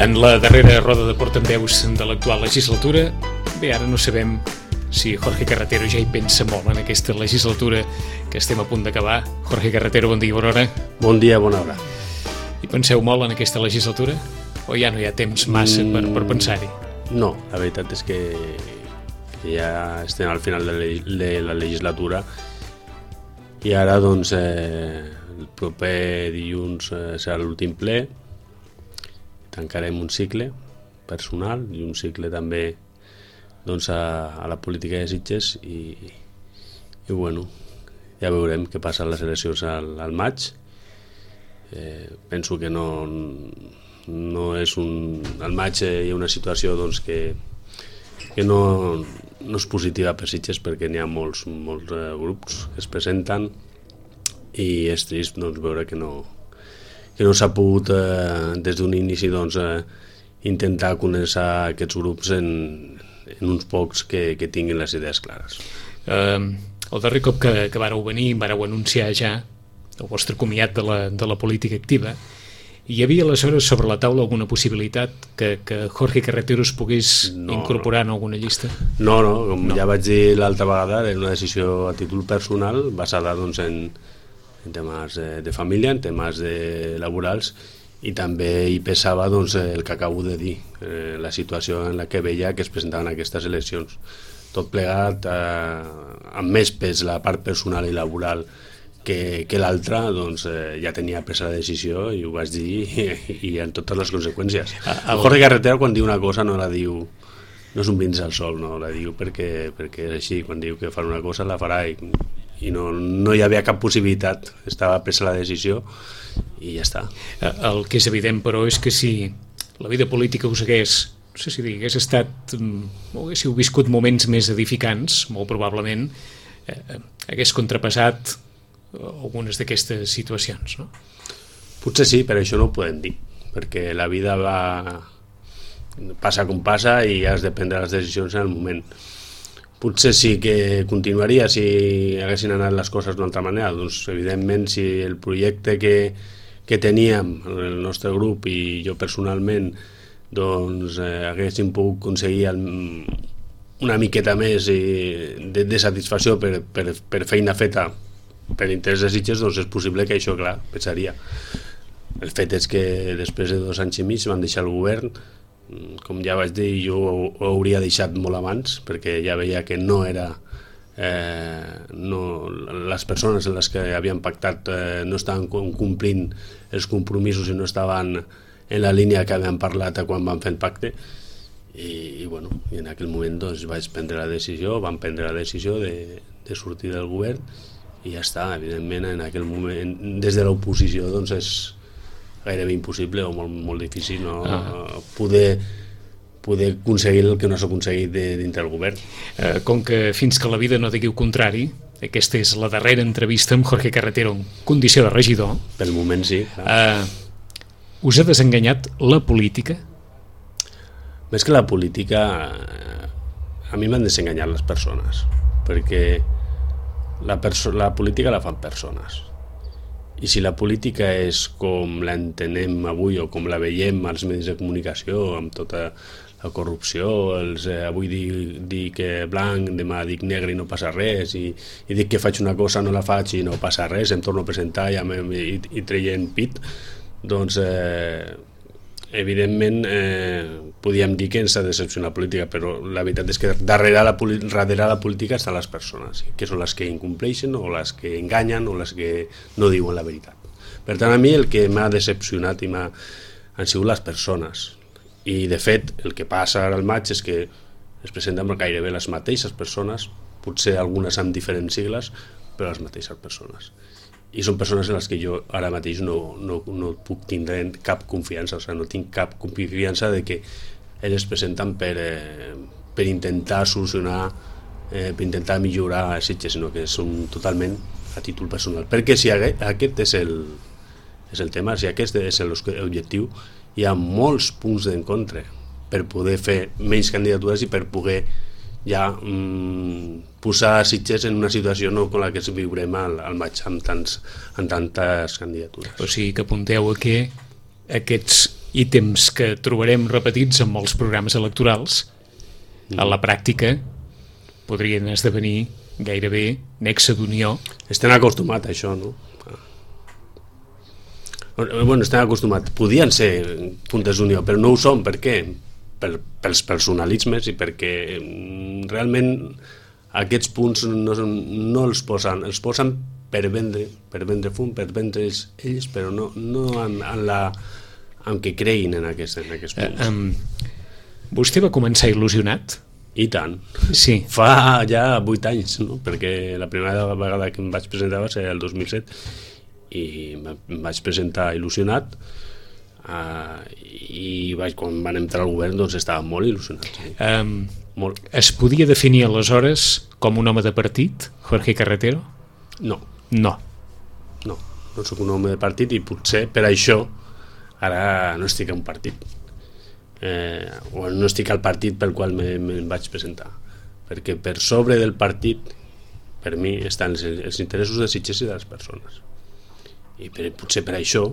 En la darrera roda de portaveus de l'actual legislatura, bé, ara no sabem si Jorge Carretero ja hi pensa molt en aquesta legislatura que estem a punt d'acabar. Jorge Carretero, bon dia, bona hora. Bon dia, bona hora. Hi penseu molt en aquesta legislatura? O ja no hi ha temps massa per pensar-hi? No, la veritat és que ja estem al final de la legislatura i ara doncs el proper dilluns serà l'últim ple, tancarem un cicle personal i un cicle també doncs a la política de Sitges i bueno, ja veurem què passa a les eleccions al maig. Penso que no és al maig hi ha una situació doncs que no és positiva per Sitges perquè n'hi ha molts grups que es presenten i és trist doncs, veure que no s'ha pogut des d'un inici doncs, intentar conèixer aquests grups en uns pocs que tinguin les idees clares. El darrer cop que vareu venir vareu anunciar ja el vostre comiat de la política activa. Hi havia aleshores sobre la taula alguna possibilitat que Jorge Carretero es pogués incorporar en alguna llista? No, com ja vaig dir l'altra vegada, era una decisió a títol personal basada doncs, en temes de família, en temes laborals, i també hi pesava doncs, el que acabo de dir, la situació en la que veia que es presentaven aquestes eleccions. Tot plegat, amb més pes la part personal i laboral que l'altra, doncs, ja tenia presa la decisió i ho vaig dir i en totes les conseqüències. El Jorge Carretero quan diu una cosa no la diu, no és un brindis al sol, no la diu perquè és així, quan diu que farà una cosa la farà i no hi havia cap possibilitat, estava presa la decisió i ja està. El que és evident, però, és que si la vida política us hagués, no sé si dir, hagués estat, o haguéssiu viscut moments més edificants, molt probablement, hagués contrapassat algunes d'aquestes situacions, no? Potser sí, però això no ho podem dir, perquè la vida passa com passa i has de prendre les decisions en el moment. Potser sí que continuaria si haguessin anat les coses d'una altra manera. Doncs, evidentment, si el projecte que teníem, el nostre grup i jo personalment, doncs haguéssim pogut aconseguir una miqueta més de satisfacció per feina feta per interès de Sitges, doncs és possible que això, clar, pensaria. El fet és que després de 2 anys i mig van deixar el govern. Com ja vaig dir, jo ho hauria deixat molt abans perquè ja veia que no era les persones en les que havien pactat no estaven complint els compromisos i no estaven en la línia que havien parlat quan van fer el pacte i en aquell moment doncs, vaig prendre la decisió, van prendre la decisió de sortir del govern i ja està. Evidentment en aquell moment des de l'oposició doncs és gairebé impossible o molt difícil poder aconseguir el que no s'ha aconseguit dintre del govern. Com que fins que la vida no digui el contrari, aquesta és la darrera entrevista amb Jorge Carretero en condició de regidor. Pel moment sí. Us ha desenganyat la política? Més que la política, a mi m'han desenganyat les persones, perquè la política la fan persones. I si la política és com l'entenem avui o com la veiem als medis de comunicació, amb tota la corrupció, avui dic blanc, demà dic negre i no passa res, i dic que faig una cosa, no la faig i no passa res, em torno a presentar i treien pit, doncs evidentment podíem dir que ens ha decepcionat la política, però la veritat és que darrere la política estan les persones, que són les que incompleixen o les que enganyen o les que no diuen la veritat. Per tant, a mi el que m'ha decepcionat han sigut les persones, i de fet el que passa ara al maig és que es presenten gairebé les mateixes persones, potser algunes amb diferents sigles, però les mateixes persones. I són persones en les que jo ara mateix no puc tindre cap confiança, o sigui, no tinc cap confiança de que elles es presenten per intentar solucionar, per intentar millorar a Sitges, sinó que són totalment a títol personal. Perquè si aquest és el tema, si aquest és l'objectiu, hi ha molts punts d'encontre per poder fer menys candidatures i per poder ja posar Sitges en una situació no com la que viurem al maig amb tantes candidatures. O sigui que apunteu a que aquests ítems que trobarem repetits en molts programes electorals, a la pràctica podrien esdevenir gairebé nexe d'unió. Estem acostumats a això, no? Bueno, estem acostumats. Podien ser puntes d'unió, però no ho són. Per què? Pels personalismes i perquè realment aquests punts no els posen per vendre fum, per vendre ells, però no en què creguin en aquests punts. Vostè va començar il·lusionat? I tant. Sí. Fa ja 8 anys, no? Perquè la primera vegada que em vaig presentar va ser el 2007 i em vaig presentar il·lusionat i quan van entrar al govern doncs estava molt il·lusionat. Sí. Molt. Es podia definir aleshores com un home de partit, Jorge Carretero? No. No Soc un home de partit i potser per això ara no estic en un partit. O no estic al partit pel qual me'n vaig presentar, perquè per sobre del partit per mi estan els interessos de Sitges i de les persones, i potser per això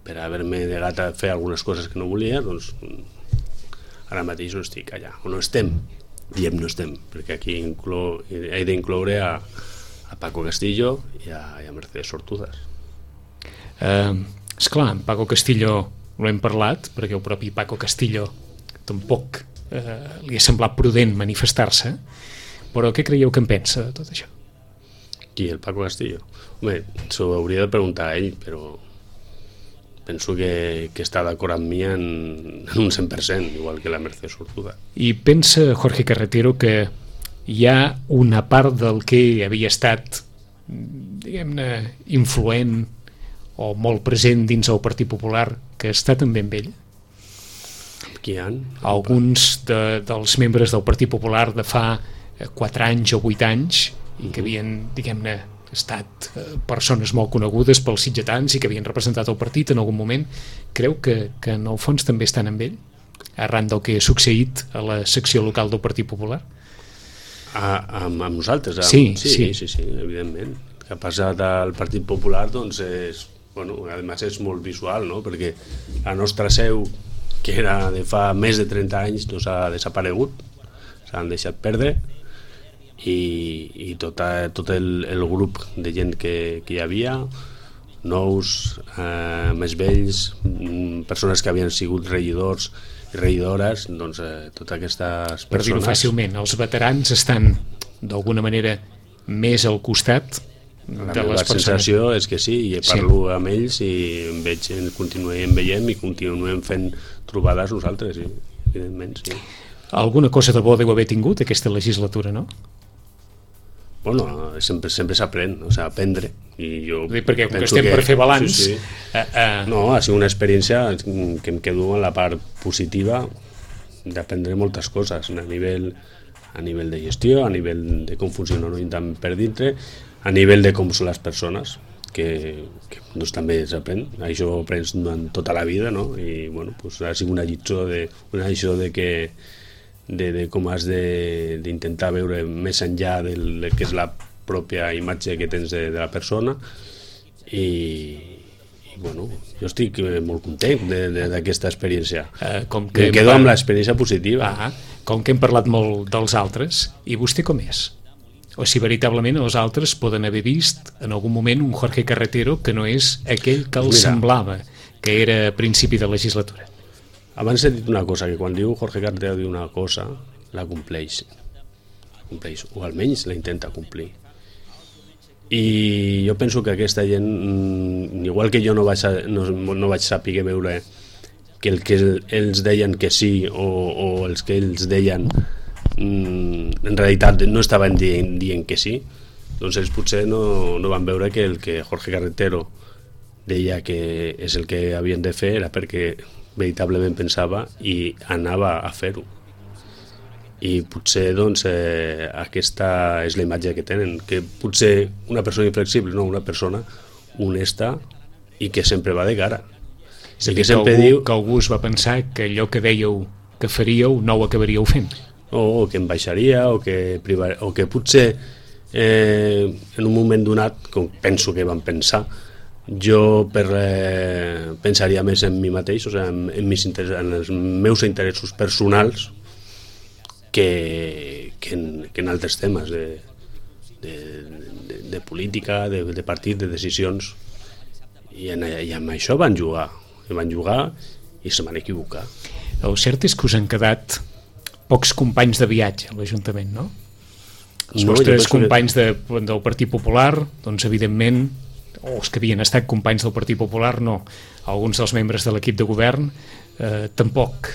per haver-me negat a fer algunes coses que no volia, doncs ara mateix no estic allà, o no estem, perquè aquí he d'incloure a Paco Castillo i a Mercedes Sortuzas. Esclar, en Paco Castillo ho hem parlat, perquè el propi Paco Castillo tampoc li ha semblat prudent manifestar-se, però què creieu que en pensa de tot això? Qui, el Paco Castillo? Home, s'ho hauria de preguntar a ell, però penso que està d'acord amb mi en un 100%, igual que la Mercedes Sortuda. I pensa Jorge Carretero que hi ha una part del que havia estat, diguem-ne, influent o molt present dins el Partit Popular, que està també amb ell? Qui hi ha? Alguns dels membres del Partit Popular de fa 4 anys o 8 anys i que havien, diguem-ne, estat persones molt conegudes pels sitgetans i que havien representat el partit en algun moment, creu que en el fons també estan amb ell, arran del que ha succeït a la secció local del Partit Popular? Amb nosaltres? Sí, evidentment. El que ha passat al Partit Popular doncs a més és molt visual, no? Perquè la nostra seu, que era de fa més de 30 anys, doncs ha desaparegut, s'han deixat perdre, i tot el grup de gent que hi havia, nous, més vells, persones que havien sigut regidors i regidores, doncs totes aquestes persones... Per dir-ho fàcilment, els veterans estan d'alguna manera més al costat de les persones. La sensació és que sí, i parlo amb ells i continuem veient i continuem fent trobades nosaltres, sí, evidentment, sí. Alguna cosa de bo deu haver tingut aquesta legislatura, no? Bueno, sempre s'aprèn, o sigui, aprendre. I jo perquè com que estem per fer balanç... Sí. No, ha sigut una experiència que em quedo en la part positiva d'aprendre moltes coses a nivell de gestió, a nivell de com funciona un ajuntament per dintre, a nivell de com són les persones, que doncs, també s'aprèn. Això ho aprens durant tota la vida, no? I bueno, doncs, ha sigut una lliçó de com has d'intentar veure més enllà del que és la pròpia imatge que tens de la persona, i bueno, jo estic molt content d'aquesta experiència. Em quedo amb l'experiència positiva. Com que hem parlat molt dels altres, i vostè com és? O si veritablement els altres poden haver vist en algun moment un Jorge Carretero que no és aquell que els semblava que era a principi de legislatura. Abans he dit una cosa, que quan diu Jorge Carretero diu una cosa, la compleix, o almenys la intenta complir. I jo penso que aquesta gent, igual que jo no vaig saber veure que el que ells deien que sí o els que ells deien en realitat no estaven dient que sí, doncs ells potser no van veure que el que Jorge Carretero deia que és el que havien de fer era perquè veritablement pensava i anava a fer-ho. I potser doncs, aquesta és la imatge que tenen, que potser una persona inflexible, no, una persona honesta i que sempre va de cara. És a dir, que algú es va pensar que allò que dèieu que faríeu no ho acabaríeu fent. O que em baixaria, o que potser en un moment donat, com penso que van pensar, Jo pensaria més en mi mateix, o sigui, en els meus interessos personals que en altres temes de política, de partit, de decisions. I amb això van jugar i se van equivocar. El cert és que us han quedat pocs companys de viatge a l'Ajuntament, no? Els vostres companys del Partit Popular, doncs evidentment, o els que havien estat companys del Partit Popular, no. Alguns dels membres de l'equip de govern tampoc,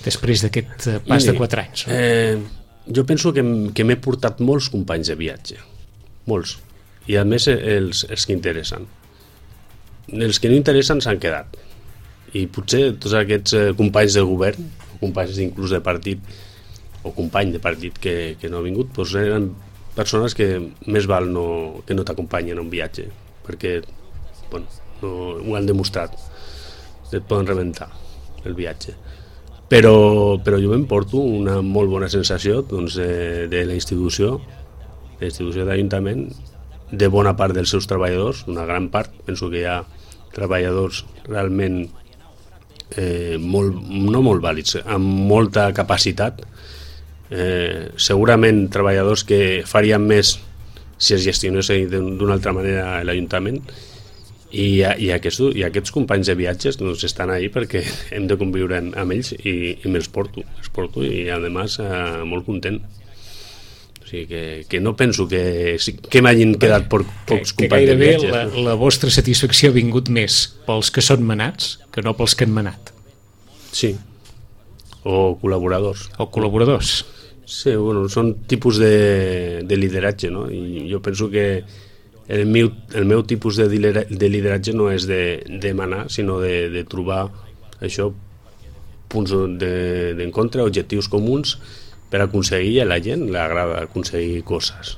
després d'aquest pas de 4 anys. Jo penso que m'he portat molts companys de viatge, molts, i a més els que interessen. Els que no interessen s'han quedat, i potser tots aquests companys de govern, o companys inclús de partit, o company de partit que no ha vingut, doncs eren persones que més val que no t'acompanyen a un viatge, perquè no ho han demostrat, et poden rebentar el viatge. Però jo m'emporto una molt bona sensació doncs, de la institució d'Ajuntament, de bona part dels seus treballadors, una gran part, penso que hi ha treballadors realment no molt vàlids, amb molta capacitat, segurament treballadors que farien més si es gestionés d'una altra manera l'Ajuntament, i aquests companys de viatges doncs, estan ahí perquè hem de conviure amb ells i me'ls porto i a més molt content. O sigui que no penso que m'hagin quedat pocs companys de viatges. Que gairebé la vostra satisfacció ha vingut més pels que són manats que no pels que han manat. Sí, o col·laboradors. Sí, són tipus de lideratge, no? I jo penso que el meu tipus de lideratge no és de manar, sinó de trobar això, punts d'encontre, objectius comuns, per aconseguir, a la gent li agrada aconseguir coses.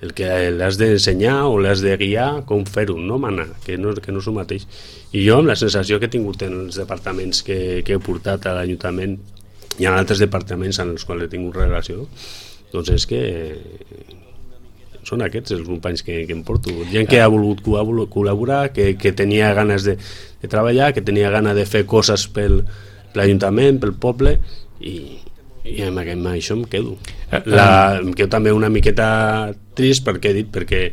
El que l'has d'ensenyar o l'has de guiar com fer-ho, no manar, que no és el mateix. I jo, amb la sensació que he tingut en els departaments que he portat a l'Ajuntament i en altres departaments en els quals he tingut relació, doncs és que són aquests els companys que em porto. Gent que ha volgut col·laborar, que tenia ganes de treballar, que tenia ganes de fer coses per l'Ajuntament, pel poble, i amb això em quedo. Em quedo també una miqueta trist perquè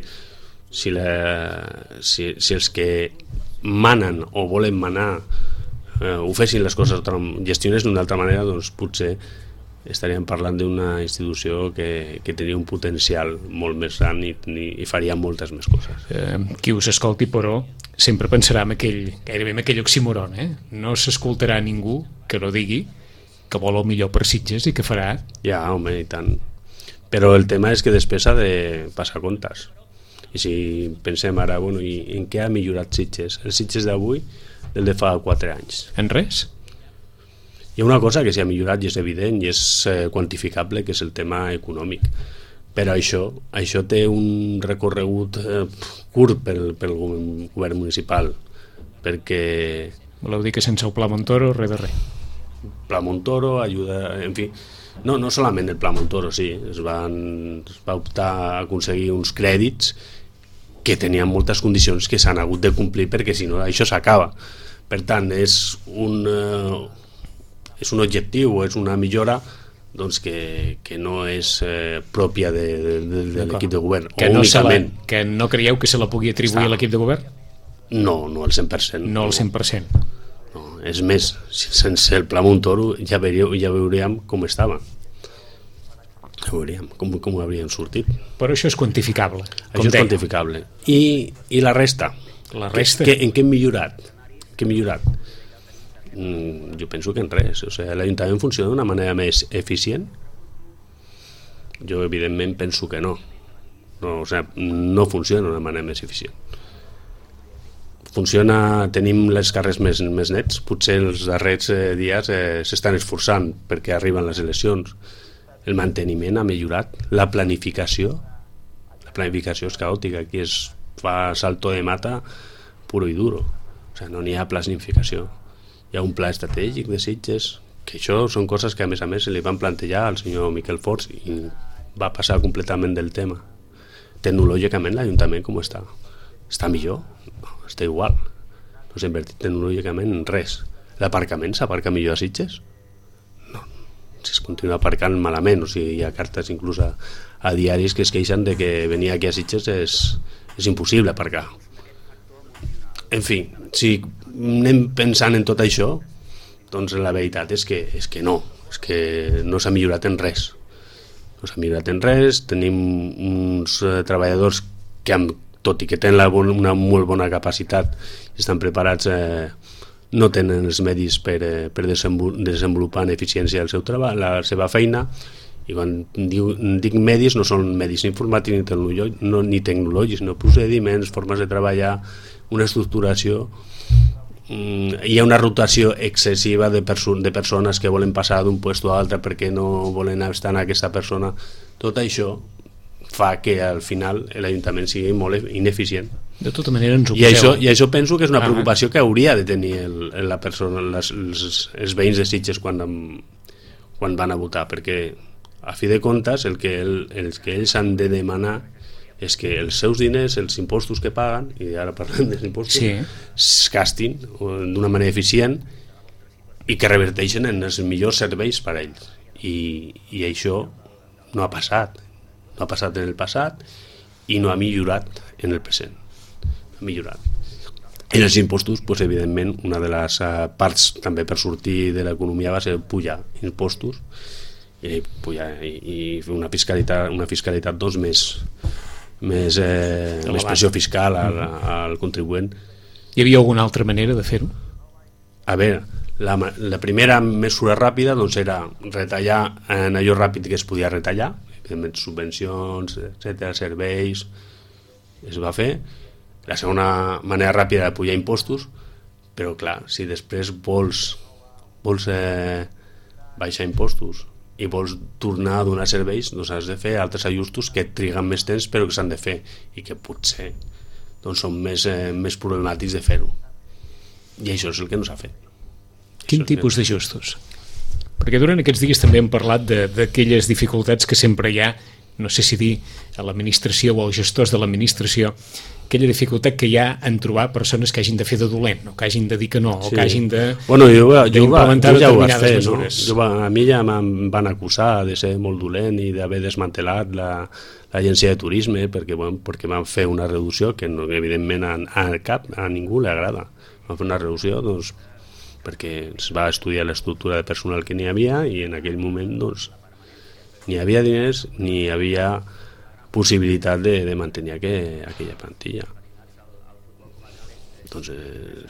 si els que manen o volen manar ho fessin les coses, gestionés d'una altra manera, doncs potser estaríem parlant d'una institució que tenia un potencial molt més gran i faria moltes més coses. Qui us escolti, però, sempre pensarà gairebé en aquell oxímoron, No s'escoltarà ningú que no digui que vol el millor per Sitges i que farà... Ja, home, i tant. Però el tema és que després ha de passar comptes. I si pensem ara, i en què ha millorat Sitges? El Sitges d'avui del de fa 4 anys. En res? Hi ha una cosa que s'ha millorat i és evident i és quantificable, que és el tema econòmic. Però això té un recorregut curt pel govern municipal, perquè... Voleu dir que sense el Pla Montoro, res de res? Pla Montoro ajuda, en fi, no solament el Pla Montoro, sí, es va optar a aconseguir uns crèdits que tenien moltes condicions que s'han hagut de complir perquè si no això s'acaba. Per tant, és un objectiu o és una millora doncs que no és pròpia de l'equip de govern, que únicament. Que no creieu que se la pugui atribuir a l'equip de govern? No al 100%. No al 100%. No, és més, sense el Pla Montoro ja veuríem com estava. Ja veuríem com hauríem sortit. Però això és quantificable. Això és quantificable. I la resta? La resta? En què hem millorat? Jo penso que en res. O sigui, l'Ajuntament funciona d'una manera més eficient? Jo evidentment penso que no. No funciona d'una manera més eficient. Tenim les carrers més nets, potser els darrers dies s'estan esforçant perquè arriben les eleccions. El manteniment ha millorat, la planificació és caòtica, aquí es fa salto de mata puro i duro, o sigui, no n'hi ha planificació. Hi ha un pla estratègic de Sitges, que això són coses que a més se li van plantejar al senyor Miquel Forts i va passar completament del tema. Tecnològicament l'Ajuntament com està està millor? No, està igual. No s'ha invertit tecnològicament en res. L'aparcament s'aparca millor a Sitges? No, si es continua aparcant malament, o sigui, hi ha cartes inclús a diaris que es queixen de que venir aquí a Sitges és impossible aparcar. En fi, si anem pensant en tot això, doncs la veritat és que no s'ha millorat en res. No s'ha millorat en res, tenim uns treballadors que, tot i que tenen una molt bona capacitat, estan preparats, no tenen els medis per desenvolupar en eficiència el seu treball, la seva feina, i quan dic medis no són medis informàtics ni tecnològics, sinó procediments, formes de treballar, una estructuració. Hi ha una rotació excessiva de persones que volen passar d'un lloc a l'altre perquè no volen estar en aquesta persona. Tot això fa que al final l'Ajuntament sigui molt ineficient. De tota manera ens ho poseu. I això penso que és una preocupació que hauria de tenir la persona, els veïns de Sitges quan van a votar, perquè a fi de comptes el que ells han de demanar és que els seus diners, els impostos que paguen, i ara parlem dels impostos, es gastin d'una manera eficient i que reverteixen en els millors serveis per a ells. I això no ha passat. No ha passat en el passat i no ha millorat en el present. Ha millorat. En els impostos, doncs, evidentment, una de les parts també per sortir de l'economia va ser pujar impostos i fer una fiscalitat doncs, més pressió fiscal al contribuent. Hi havia alguna altra manera de fer-ho? A veure, la primera mesura ràpida doncs, era retallar en allò ràpid que es podia retallar, evidentment subvencions, etcètera, serveis, es va fer. La segona manera ràpida era pujar impostos, però clar, si després vols baixar impostos i vols tornar a donar serveis, doncs has de fer altres ajustos que triguen més temps però que s'han de fer i que potser doncs, són més problemàtics de fer-ho. I això és el que no s'ha fet. Quin tipus d'ajustos? Perquè durant aquests dies també hem parlat d'aquelles dificultats que sempre hi ha, no sé si dir a l'administració o als gestors de l'administració, aquella dificultat que hi ha en trobar persones que hagin de fer de dolent, o que hagin de dir que no, o que hagin d'implementar determinades mesures. A mi ja em van acusar de ser molt dolent i d'haver desmantelat l'agència de turisme perquè van fer una reducció que evidentment a ningú li agrada. Van fer una reducció doncs, perquè es va estudiar l'estructura de personal que n'hi havia i en aquell moment doncs, ni hi havia diners ni hi havia possibilitat de mantenir aquella plantilla. Doncs,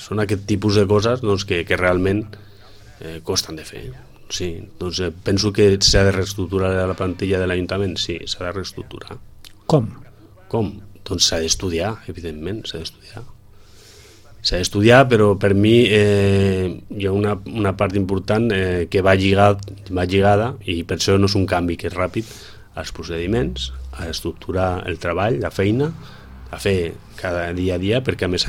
són aquest tipus de coses doncs, que realment costen de fer. Sí, doncs, penso que s'ha de reestructurar la plantilla de l'Ajuntament, sí, s'ha de reestructurar. Com? Doncs s'ha d'estudiar, evidentment, s'ha d'estudiar, però per mi hi ha una part important que va lligada, i per això no és un canvi que és ràpid, als procediments, a estructurar el treball, la feina, a fer cada dia a dia, perquè a més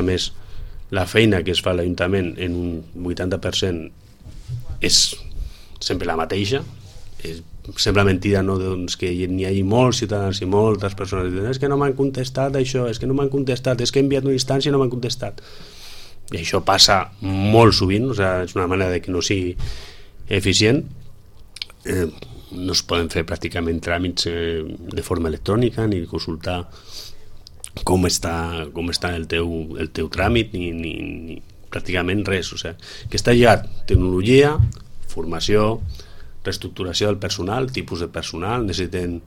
la feina que es fa a l'Ajuntament en un 80% és sempre la mateixa. Sembla mentida, no? Doncs que n'hi hagi molts ciutadans i moltes persones que diuen és que no m'han contestat això, és que no m'han contestat, és que he enviat una instància i no m'han contestat. I això passa molt sovint, o sigui, és una manera de que no sigui eficient. No es poden fer pràcticament tràmits de forma electrònica ni consultar com està el teu tràmit ni pràcticament res, o sigui, que està lligat tecnologia, formació, reestructuració del personal, tipus de personal, necessiten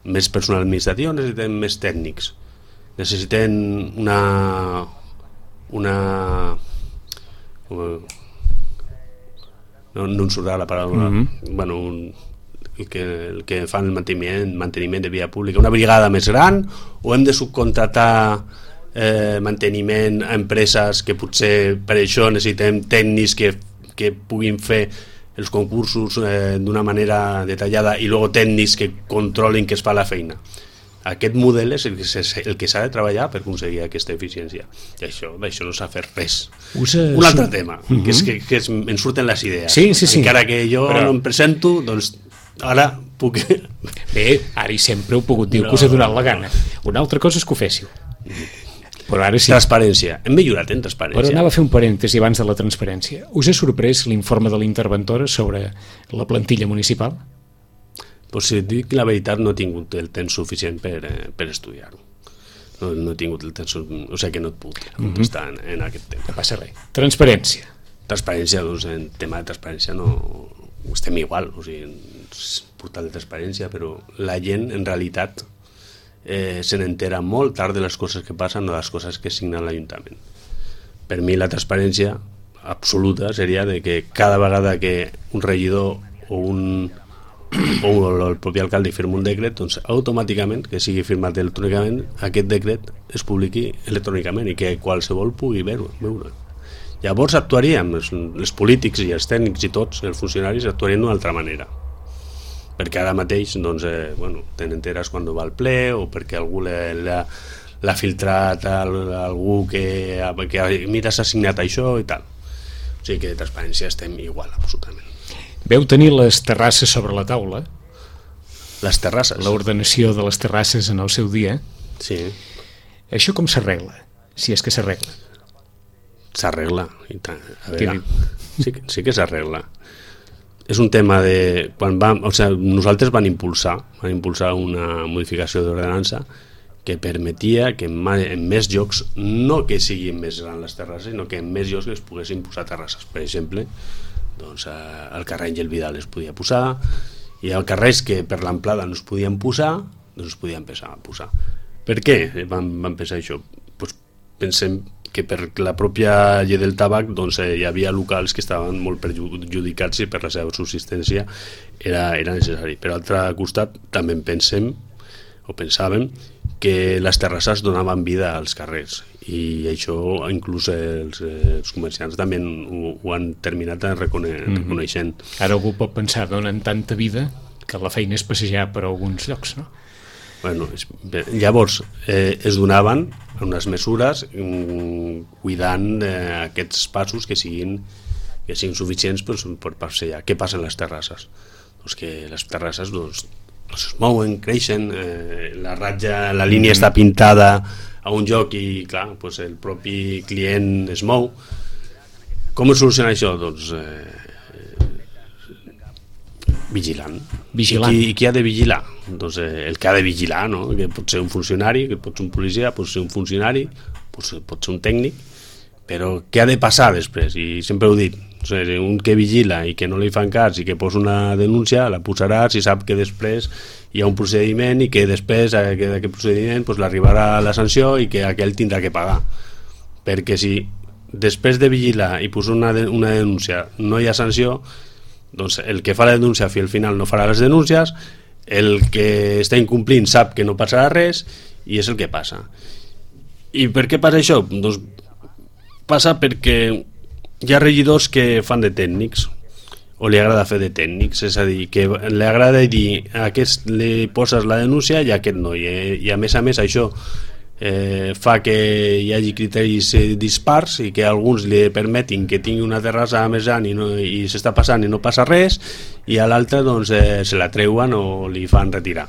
més personal administratiu, necessiten més tècnics, necessiten no em surt la paraula, bueno, el que fan el manteniment de via pública, una brigada més gran, o hem de subcontratar manteniment a empreses que potser per això necessitem tècnics que puguin fer els concursos d'una manera detallada i després tècnics que controlin que es fa la feina. Aquest model és el que s'ha de treballar per aconseguir aquesta eficiència. I això no s'ha fet res. Un altre tema, que és que em surten les idees. Sí. Encara que jo no em presento, doncs ara puc... Bé, ara i sempre heu pogut dir que us ha donat la gana. Una altra cosa és que ho féssiu. Però ara sí. Transparència. Hem millorat en transparència. Però anava a fer un parèntesi abans de la transparència. Us ha sorprès l'informe de l'interventora sobre la plantilla municipal? Pues si dic la veritat, no he tingut el temps suficient per estudiar-ho. No he tingut el temps, o sigui que no et puc contestar en aquest temps. No passa res. Transparència. Transparència, doncs en tema de transparència no estem igual, o sigui, és portal de transparència, però la gent en realitat se n'entera molt tard de les coses que passen o de les coses que signa l'Ajuntament. Per mi la transparència absoluta seria de que cada vegada que un regidor o el propi alcalde firma un decret, doncs automàticament, que sigui firmat electrònicament, aquest decret es publiqui electrònicament i que qualsevol pugui veure. Llavors actuaríem, els polítics i els tècnics i tots, els funcionaris, actuarien d'una altra manera. Perquè ara mateix doncs, te n'enteres quan va al ple o perquè algú l'ha filtrat a algú que mira, s'ha signat això i tal. O sigui que de transparència estem igual, absolutament. Veu tenir les terrasses sobre la taula? Les terrasses? L'ordenació de les terrasses en el seu dia. Sí. Això com s'arregla? Si és que s'arregla. S'arregla. A veure, sí que s'arregla. És un tema de... nosaltres van impulsar una modificació d'ordenança que permetia que en més llocs, no que siguin més grans les terrasses, sinó que en més llocs es poguessin posar terrasses. Per exemple, doncs, al carrer Àngel Vidal es podia posar, i al carrers que per l'amplada no es podien posar, doncs es podien empezar a posar. Per què van pensar això? Pues pensem que per la pròpia llei del tabac doncs, hi havia locals que estaven molt perjudicats i per la seva subsistència era necessari. Per altre costat, també pensàvem que les terrasses donaven vida als carrers i això inclús els comerciants també ho han terminat reconeixent. Ara algú pot pensar, donen tanta vida que la feina és passejar per alguns llocs, no? Bueno, llavors es donaven unes mesures cuidant aquests passos que siguin suficients per passejar. Què passa en les terrasses? Doncs que les terrasses es mouen, creixen, la línia està pintada a un lloc i clar, doncs el propi client es mou. Com es soluciona això? Doncs vigilant. I qui ha de vigilar? Doncs el que ha de vigilar, no? Que pot ser un funcionari, que pot ser un policia, pot ser un funcionari, pot ser un tècnic, però què ha de passar després? I sempre ho he dit, un que vigila i que no li fan cas i que posa una denúncia, la posarà si sap que després hi ha un procediment i que després d'aquest procediment doncs, l'arribarà la sanció i que aquell tindrà que pagar. Perquè si després de vigilar i posar una denúncia no hi ha sanció, doncs el que fa la denúncia al final no farà les denúncies, el que està incomplint sap que no passarà res i és el que passa. I per què passa això? Doncs passa perquè hi ha regidors que fan de tècnics o li agrada fer de tècnics, és a dir, que li agrada dir a aquest li poses la denúncia i a aquest no, i a més això fa que hi hagi criteris dispars i que alguns li permetin que tingui una terrassa més gran i s'està passant i no passa res, i a l'altre doncs, se la treuen o li fan retirar.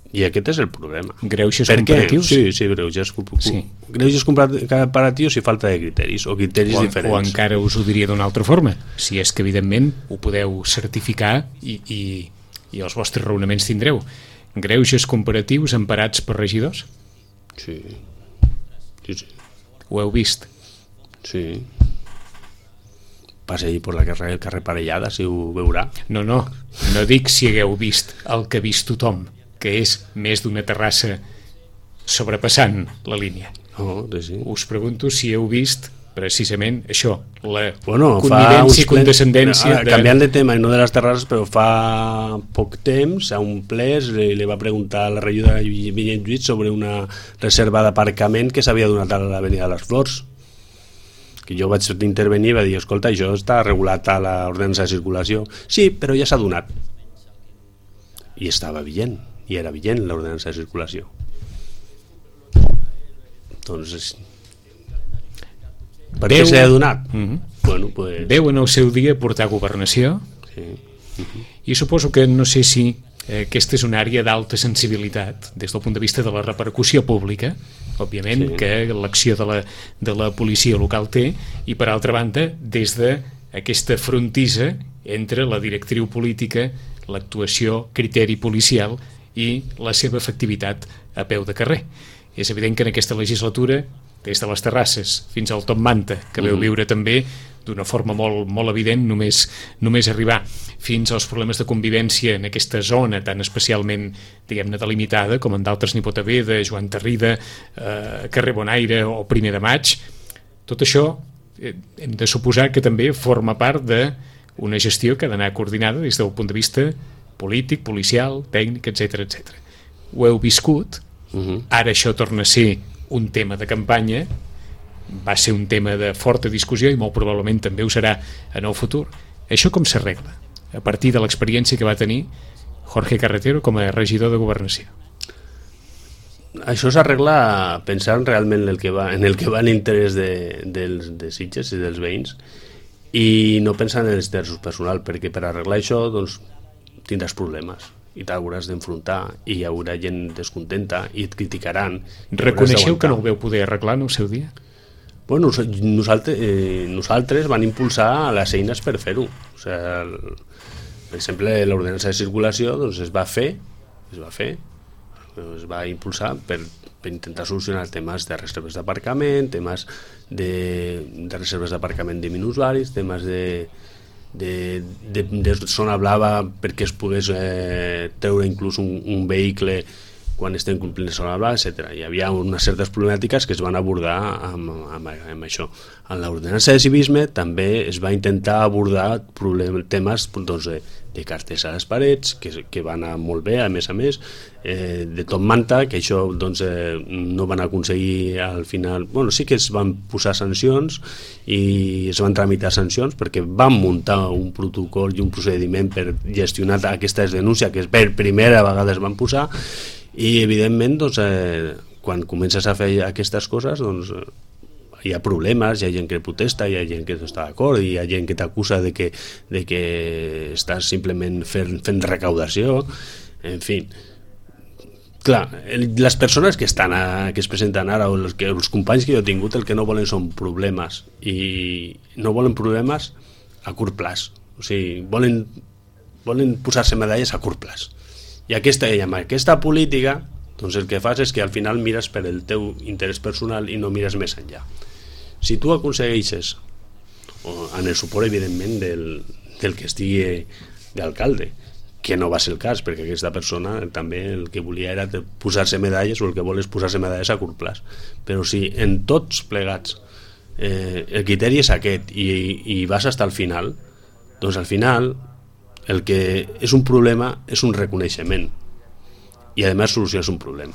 I aquest és el problema. Greuges comparatius? Sí, greuges comparatius i falta de criteris o criteris diferents. O encara us ho diria d'una altra forma, si és que evidentment ho podeu certificar i els vostres raonaments tindreu. Greuges comparatius emparats per regidors? Sí. Ho heu vist? Sí. Passegi per el carrer Parellada, si ho veurà. No dic si hagueu vist el que ha vist tothom, que és més d'una terrassa sobrepassant la línia. Sí. Us pregunto si heu vist precisament això, la connivència i condescendència canviant de tema i no de les terrasses, però fa poc temps a un ple li va preguntar a la regidora Vinyet Lluís sobre una reserva d'aparcament que s'havia donat a l'avenida de les Flors, que jo vaig intervenir i va dir, escolta, això està regulat a l'ordenança de circulació. Sí, però ja s'ha donat i estava vigent, i era vigent l'ordenança de circulació. Doncs per què s'ha donat? Veu en el seu dia portar governació i suposo que no sé si aquesta és una àrea d'alta sensibilitat des del punt de vista de la repercussió pública, òbviament, que l'acció de la policia local té, i per altra banda, des d'aquesta frontissa entre la directriu política, l'actuació, criteri policial i la seva efectivitat a peu de carrer. És evident que en aquesta legislatura, des de les terrasses fins al Top Manta, que veu viure també d'una forma molt evident, només arribar fins als problemes de convivència en aquesta zona tan especialment, diguem-ne, delimitada, com en d'altres n'hi pot haver, de Joan Tarrida, carrer Bonaire o Primer de Maig. Tot això hem de suposar que també forma part d'una gestió que ha d'anar coordinada des del punt de vista polític, policial, tècnic, etc. Ho heu viscut, ara això torna a ser un tema de campanya, va ser un tema de forta discussió i molt probablement també ho serà en el futur. Això com s'arregla? A partir de l'experiència que va tenir Jorge Carretero com a regidor de Governació. Això s'arregla pensant realment en el que va l'interès de Sitges i dels veïns i no pensant en els interessos personals, perquè per arreglar això doncs, tindràs problemes i t'hauràs d'enfrontar i hi haurà gent descontenta i et criticaran. Reconeixeu que no ho veu poder arreglar en el seu dia? Bueno, nosaltres van impulsar les eines per fer-ho. O sigui, per exemple, l'ordenança de circulació doncs, es va impulsar per intentar solucionar temes de reserves d'aparcament, temes de reserves d'aparcament de minusvaris, temes de zona blava perquè es pogués treure inclús un vehicle quan estem complint la zona blava, etc. Hi havia unes certes problemàtiques que es van abordar amb això. En l'ordenança de civisme també es va intentar abordar temes doncs, de cartells a les parets, que van anar molt bé, a més, de Top Manta, que això doncs, no van aconseguir al final. Bueno, sí que es van posar sancions i es van tramitar sancions perquè van muntar un protocol i un procediment per gestionar aquestes denúncies que per primera vegada es van posar i evidentment doncs, quan comences a fer aquestes coses doncs, hi ha problemes, hi ha gent que protesta, hi ha gent que no està d'acord, hi ha gent que t'acusa de que estàs simplement fent recaudació, en fi. Clar, les persones que es presenten ara o els companys que jo he tingut el que no volen són problemes i no volen problemes a curt plaç, o sigui, volen posar-se medalles a curt plaç. I amb aquesta política doncs el que fas és que al final mires per el teu interès personal i no mires més enllà. Si tu aconsegueixes, en el suport evidentment del que estigui d'alcalde, que no va ser el cas perquè aquesta persona també el que volia era posar-se medalles o el que vol és posar-se medalles a curt plaç, però si en tots plegats el criteri és aquest i vas fins al final, doncs al final el que és un problema és un reconeixement i a més soluciones un problema.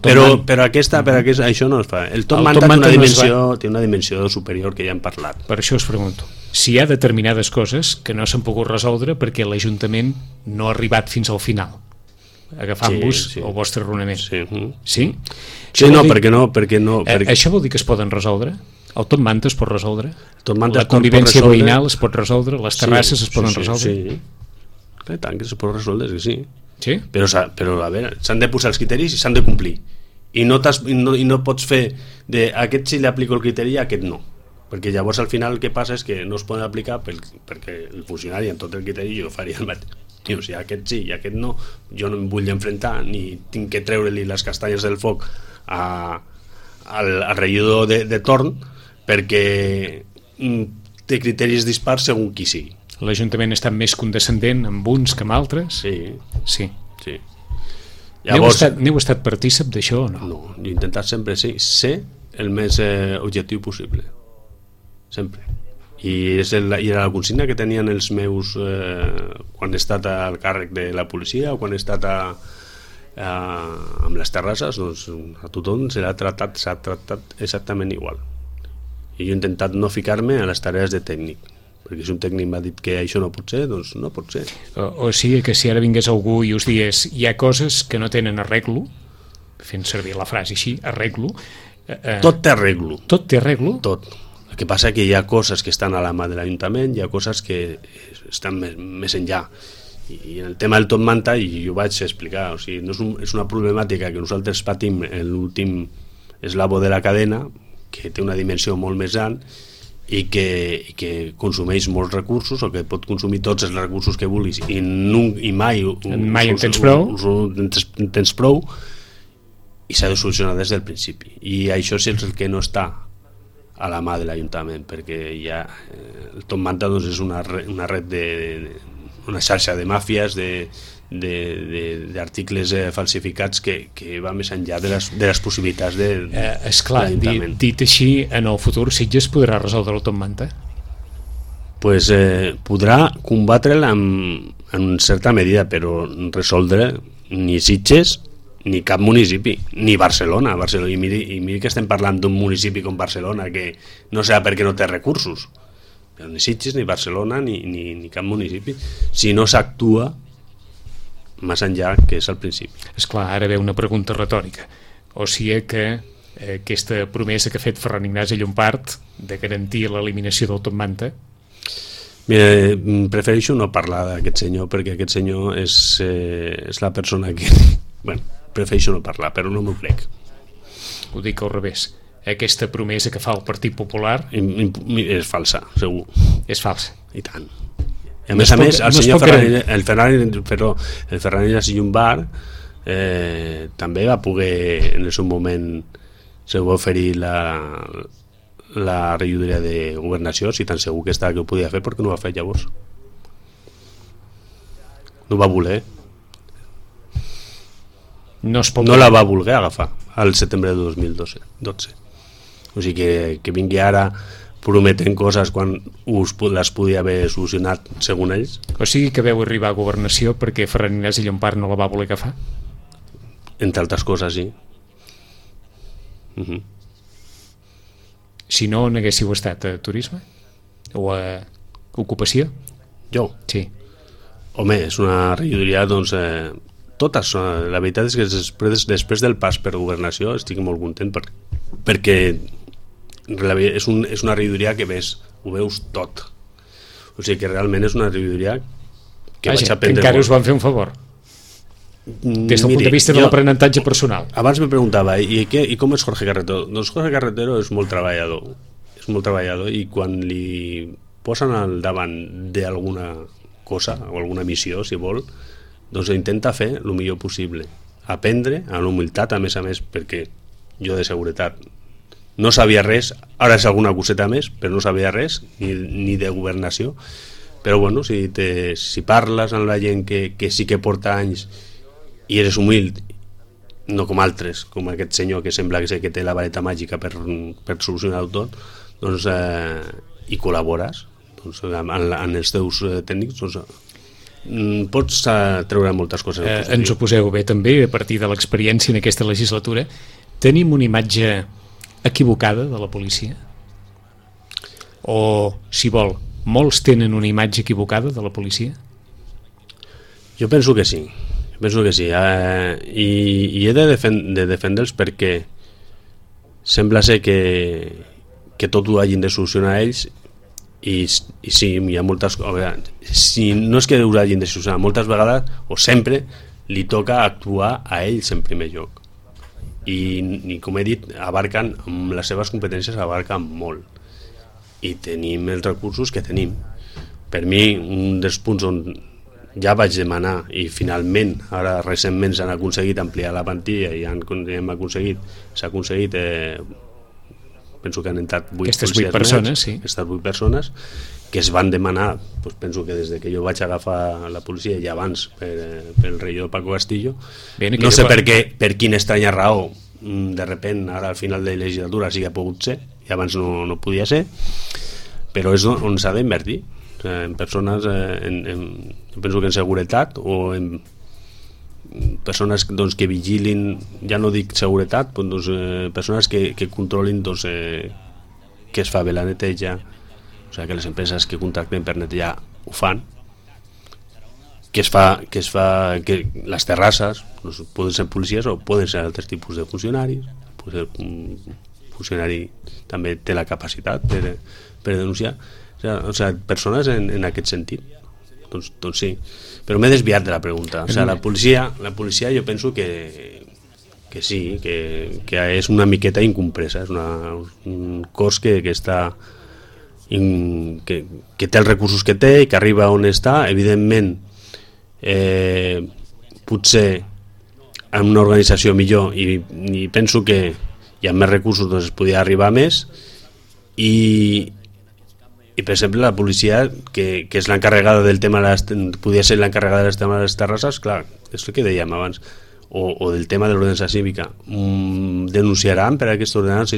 Però això no es fa. El Top Manta té una dimensió superior que ja hem parlat. Per això us pregunto. Si hi ha determinades coses que no s'han pogut resoldre perquè l'Ajuntament no ha arribat fins al final, agafant-vos el vostre raonament. Sí? No, perquè no. Això vol dir que es poden resoldre? El Top Manta es pot resoldre? La convivència veïnal es pot resoldre? Les terrasses es poden resoldre? Sí. Tant que es pot resoldre, és que sí. Sí? Però a veure, s'han de posar els criteris i s'han de complir i no pots fer a aquest sí li aplico el criteri i a aquest no, perquè llavors al final el que passa és que no es poden aplicar perquè el funcionari amb tot el criteri jo faria el mateix. O sigui, aquest sí i aquest no, jo no em vull enfrontar ni tinc que treure-li les castanyes del foc al regidor de torn perquè té criteris dispars segons qui sigui. L'Ajuntament està més condescendent amb uns que amb altres? Sí. Llavors, n'heu estat partícip d'això o no? No, he intentat sempre ser el més objectiu possible. Sempre. I era la consigna que tenien els meus quan he estat al càrrec de la policia o quan he estat amb les terrasses, doncs a tothom s'ha tractat exactament igual. I jo he intentat no ficar-me a les tarees de tècnic, perquè si un tècnic m'ha dit que això no pot ser, doncs no pot ser. O sigui que si ara vingués algú i us digués hi ha coses que no tenen arreglo, fent servir la frase així, arreglo... Tot té arreglo. Tot té arreglo? Tot. El que passa és que hi ha coses que estan a la mà de l'Ajuntament, hi ha coses que estan més enllà. I en el tema del top manta, i jo ho vaig explicar, o sigui, no és una problemàtica que nosaltres patim en l'últim eslabó de la cadena, que té una dimensió molt més gran i que consumeix molts recursos, o que pot consumir tots els recursos que vulguis i mai en tens prou, i s'ha de solucionar des del principi, i això és el que no està a la mà de l'Ajuntament, perquè ja el top manta doncs, és una red una xarxa de màfies, d'articles falsificats que va més enllà de les possibilitats de l'Ajuntament. Dit així, en el futur Sitges podrà resoldre el top manta? Pues, podrà combatre'l en certa medida, però resoldre ni Sitges ni cap municipi, ni Barcelona. I miri que estem parlant d'un municipi com Barcelona, que no sé per què no té recursos, però ni Sitges, ni Barcelona, ni cap municipi, si no s'actua més enllà que és al principi. Esclar, ara ve una pregunta retòrica. O sigui que aquesta promesa que ha fet Ferran Ignasi Llompart de garantir l'eliminació del top manta... Mira, prefereixo no parlar d'aquest senyor, perquè aquest senyor és la persona que... Bueno, prefereixo no parlar, però no m'ho crec. Ho dic al revés. Aquesta promesa que fa el Partit Popular... És falsa, segur. És falsa. I tant. I a més, el senyor Ferran Ignasi Llompart també va poder, en el seu moment, se va oferir la regidoria de governació, si tan segur que estava que ho podia fer, perquè no ho va fer llavors. No va voler. No la va voler agafar al setembre de 2012. O sigui que vingui ara prometent coses quan les podia haver solucionat segons ells. O sigui que veu arribar a governació perquè Ferran Ignasi Llompart no la va voler agafar? Entre altres coses, sí. Si no, on haguéssiu estat? A turisme? O a ocupació? Jo? Sí. Home, és una regidoria, doncs... totes, la veritat és que després del pas per governació estic molt content perquè és una regidoria que ho veus tot, o sigui que realment és una regidoria que vaig aprendre encara molt. Us van fer un favor des del punt de vista de l'aprenentatge personal. Abans me preguntava i com és Jorge Carretero? Doncs Jorge Carretero és molt treballador i quan li posen al davant d'alguna cosa o alguna missió, si vol, doncs intenta fer el millor possible, aprendre amb humilitat, a més, perquè jo de seguretat no sabia res, ara és alguna coseta més, però no sabia res ni de governació, però bueno, si parles amb la gent que sí que porta anys i eres humil, no com altres, com aquest senyor que sembla que té la vareta màgica per solucionar-ho tot, doncs, i col·labores doncs, amb els teus tècnics, doncs pots treure moltes coses. Ens ho poseu bé també a partir de l'experiència en aquesta legislatura. Tenim una imatge equivocada de la policia? O, si vol, molts tenen una imatge equivocada de la policia? Jo penso que sí. I he de defendre'ls perquè sembla ser que tot ho hagin de solucionar ells. I sí, hi ha moltes coses, si no és que ho hagin de solucionar, moltes vegades o sempre li toca actuar a ells en primer lloc i com he dit, abarquen amb les seves competències, abarquen molt i tenim els recursos que tenim. Per mi, un dels punts on ja vaig demanar i finalment, ara recentment s'han aconseguit ampliar la plantilla i s'ha aconseguit penso que han entrat 8 persones, sí. Aquestes 8 persones que es van demanar, doncs penso que des que jo vaig agafar la policia i abans pel regidor Paco Castillo, no sé per quina estranya raó de repent ara al final de la legislatura sí que ha pogut ser i abans no podia ser, però és on s'ha d'invertir en persones, penso que en seguretat o en persones doncs, que vigilin, ja no dic seguretat, doncs, persones que controlin doncs, que es fa bé la neteja, o sigui, que les empreses que contracten per netejar ho fan, que les terrasses doncs, poden ser policies o poden ser altres tipus de funcionaris, un funcionari també té la capacitat per denunciar, o sigui, persones en aquest sentit doncs sí. Però m'he desviat de la pregunta. O sigui, la policia jo penso que sí, que és una miqueta incompresa, és un cos que està que té els recursos que té i que arriba on està. Evidentment, potser en una organització millor i penso que hi ha més recursos, doncs es podria arribar a més i per exemple la policia que és l'encarregada del tema podria ser l'encarregada del tema de les terrasses, clar, és el que dèiem abans, o del tema de l'ordenança cívica, denunciaran per aquesta ordenança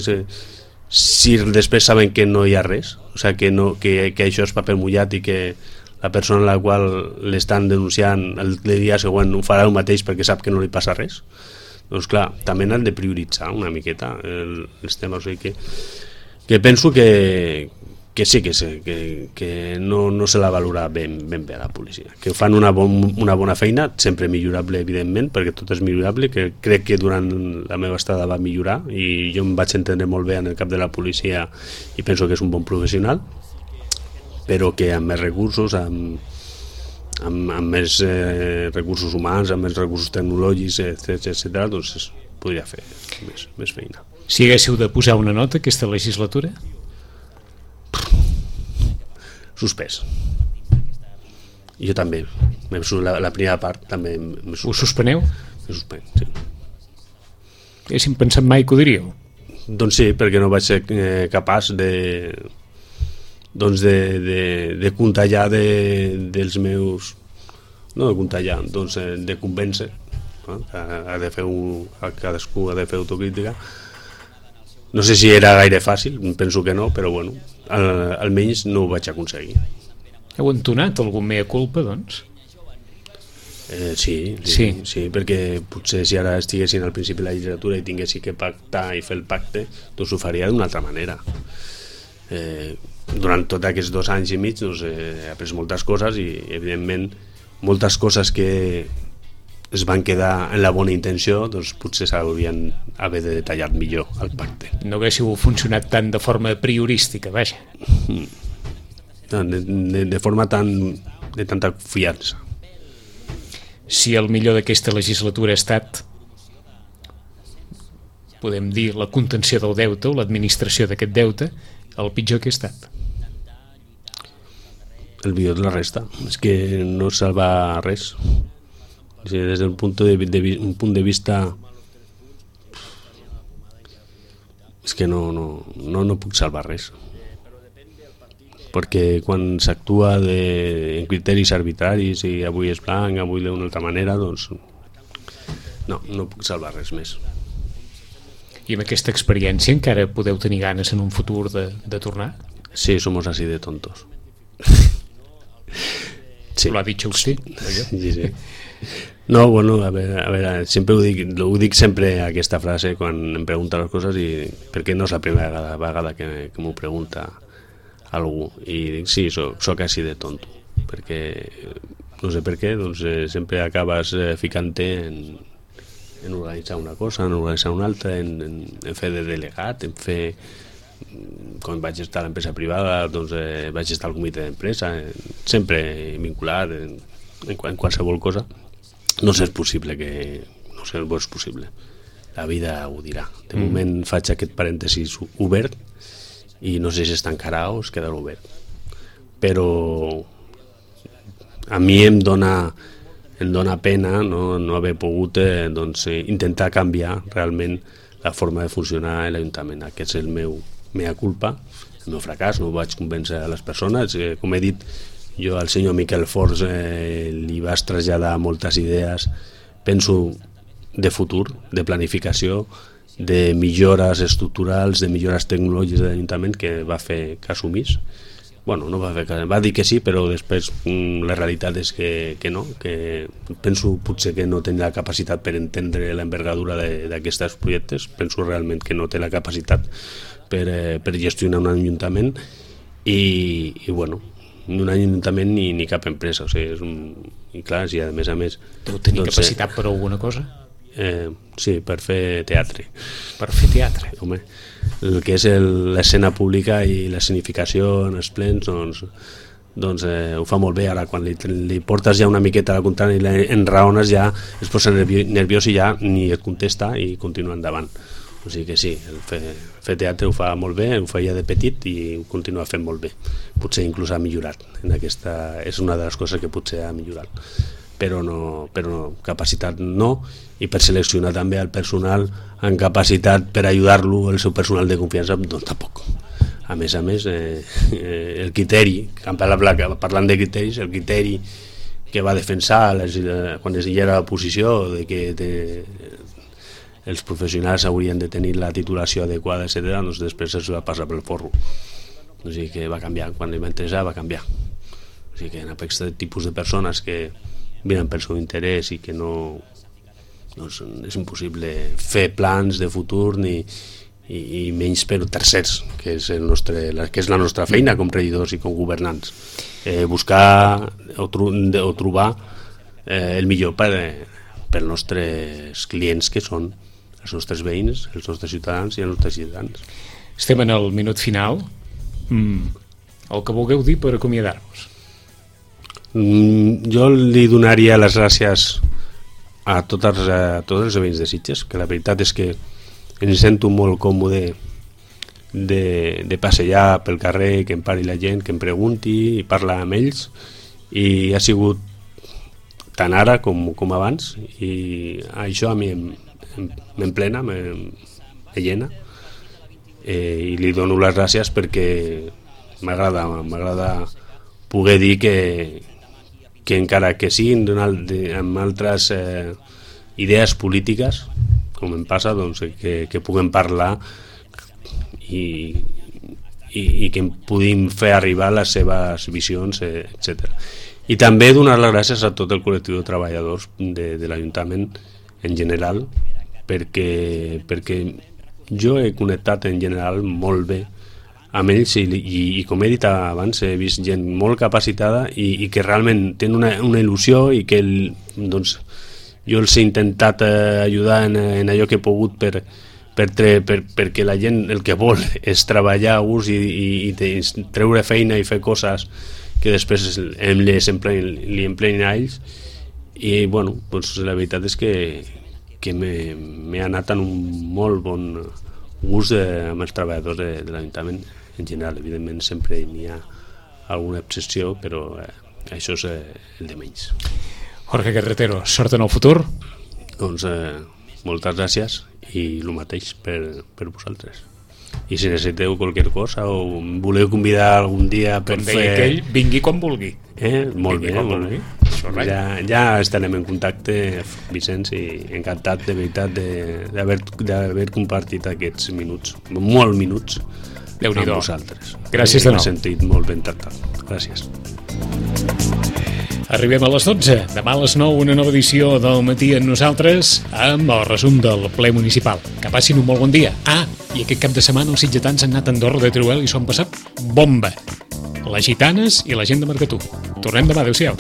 si després saben que no hi ha res, o sigui, que això és paper mullat i que la persona a la qual l'estan denunciant el dia següent ho farà el mateix perquè sap que no li passa res. Doncs clar, també han de prioritzar una miqueta els temes, o sigui que penso que sí, que no se la valora ben bé a la policia, que fan una bona feina, sempre millorable evidentment, perquè tot és millorable, que crec que durant la meva estada va millorar i jo em vaig entendre molt bé en el cap de la policia i penso que és un bon professional, però que amb més recursos, amb més recursos humans, amb més recursos tecnològics, etc., doncs es podria fer més feina. Si haguéssiu de posar una nota aquesta legislatura? Suspès. Jo també. La primera part també. Ho suspeneu? M'he suspès, sí. Haguéssim pensat mai que ho diríeu? Doncs sí, perquè no vaig ser capaç de contallar dels meus... No de contallar, doncs de convèncer. Cadascú ha de fer autocrítica. No sé si era gaire fàcil, penso que no, però bueno, almenys no ho vaig aconseguir. Heu entonat algun mea culpa, doncs? Sí, perquè potser si ara estiguessin al principi de la legislatura i tinguessin que pactar i fer el pacte, doncs ho faria d'una altra manera. Durant tots aquests 2 anys i mig doncs, he après moltes coses i evidentment moltes coses que es van quedar en la bona intenció, doncs potser s'haurien haver de detallar millor el pacte. No haguéssiu funcionat tant de forma priorística, vaja. De forma de tanta fiança. Si el millor d'aquesta legislatura ha estat, podem dir, la contenció del deute o l'administració d'aquest deute, el pitjor que ha estat. El millor de la resta. És que no salva res. O sigui, des d'un punt de vista és que no puc salvar res, perquè quan s'actua en criteris arbitraris i avui és blanc, avui d'una altra manera, doncs no puc salvar res més. I amb aquesta experiència encara podeu tenir ganes en un futur de tornar? Sí, somos así de tontos. Sí. Lo ha dicho usted. Sí. No, bueno, a veure, sempre ho dic sempre aquesta frase quan em pregunta les coses i perquè no és la primera vegada que m'ho pregunta algú i dic, sí, soc així de tonto perquè, no sé per què, doncs sempre acabes ficant-te en organitzar una cosa, en organitzar una altra, en fer de delegat, en fer... Quan vaig estar a l'empresa privada, doncs vaig estar al comitè d'empresa, sempre vinculat en qualsevol cosa. No sé, és possible que... No sé, és possible. La vida ho dirà. De moment faig aquest parèntesis obert i no sé si es tancarà o es quedarà obert. Però a mi em dona pena no haver pogut intentar canviar realment la forma de funcionar a l'Ajuntament. Aquest és el meu mea culpa, el meu fracàs, no vaig convèncer a les persones. Com he dit, jo al senyor Miquel Forns li vaig traslladar moltes idees, penso, de futur, de planificació, de millores estructurals, de millores tecnològiques de l'Ajuntament, que va fer cas omís. Bueno, no va fer cas, va dir que sí, però després la realitat és que no, que penso potser que no té la capacitat per entendre l'envergadura d'aquests projectes, penso realment que no té la capacitat per gestionar un ajuntament i bueno, ni un ajuntament ni cap empresa, o sigui, i clar, si a més deu tenir capacitat per alguna cosa? Sí, per fer teatre. Per fer teatre? Home, el que és l'escena pública i l'escenificació en els plens, doncs doncs ho fa molt bé. Ara quan li portes ja una miqueta a la contrària i l'enraones ja es posa nerviós i ja ni et contesta i continua endavant. O sigui que sí, fer teatre ho fa molt bé, ho feia de petit i ho continua fent molt bé. Potser inclús ha millorat. És una de les coses que potser ha millorat. Però capacitat no, i per seleccionar també el personal amb capacitat per ajudar-lo, el seu personal de confiança, doncs tampoc. A més, el criteri, parlant de criteris, el criteri que va defensar quan es era a l'oposició de que els professionals haurien de tenir la titulació adequada, etc., doncs després es va passar pel forro. O sigui que va canviar, quan li va interessar va canviar. O sigui que en aquest tipus de persones que miren pel seu interès i que no, doncs és impossible fer plans de futur i menys per tercers, que és la nostra feina com regidors i com governants. Buscar o trobar el millor per als nostres clients, que són els nostres veïns, els nostres ciutadans i els nostres ciutadans. Estem en el minut final. El que vulgueu dir per acomiadar-vos. Jo li donaria les gràcies a tots els veïns de Sitges, que la veritat és que em sento molt còmode de passejar pel carrer, que em pari la gent, que em pregunti i parla amb ells, i ha sigut tant ara com abans, i això a mi m'emplena, me llena, i li dono les gràcies perquè m'agrada poder dir que encara que siguin amb altres idees polítiques, com em passa, doncs, que puguem parlar i que puguin fer arribar les seves visions, etc. I també donar les gràcies a tot el col·lectiu de treballadors de l'Ajuntament en general, perquè jo he connectat en general molt bé amb ells i com he dit abans, he vist gent molt capacitada i que realment tenen una il·lusió i que doncs, jo els he intentat ajudar en allò que he pogut perquè la gent el que vol és treballar a gust i treure feina i fer coses que després li emplenin a ells, i bueno, doncs la veritat és que m'he anat en un molt bon gust amb els treballadors de l'Ajuntament en general. Evidentment sempre n'hi ha alguna excepció, però això és el de menys. Jorge Carretero, sort en el futur. Doncs moltes gràcies i el mateix per vosaltres. I si necessiteu qualsevol cosa o em voleu convidar algun dia per fer... Com deia aquell, vingui quan vulgui. Molt bé. Ja estarem en contacte, Vicenç, i encantat de veritat d'haver compartit aquests minuts, molts minuts, amb vosaltres. Gràcies de nou. M'he sentit molt ben tractat. Gràcies. Arribem a les 12. Demà a les 9 una nova edició del Matí amb nosaltres amb el resum del ple municipal. Que passin un molt bon dia. I aquest cap de setmana els sitgetans han anat a Andorra de Teruel i s'ho han passat bomba. Les gitanes i la gent de Marcatú. Tornem demà. Adéu-siau.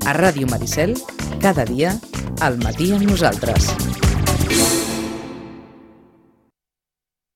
A Ràdio Maricel, cada dia, al Matí amb nosaltres.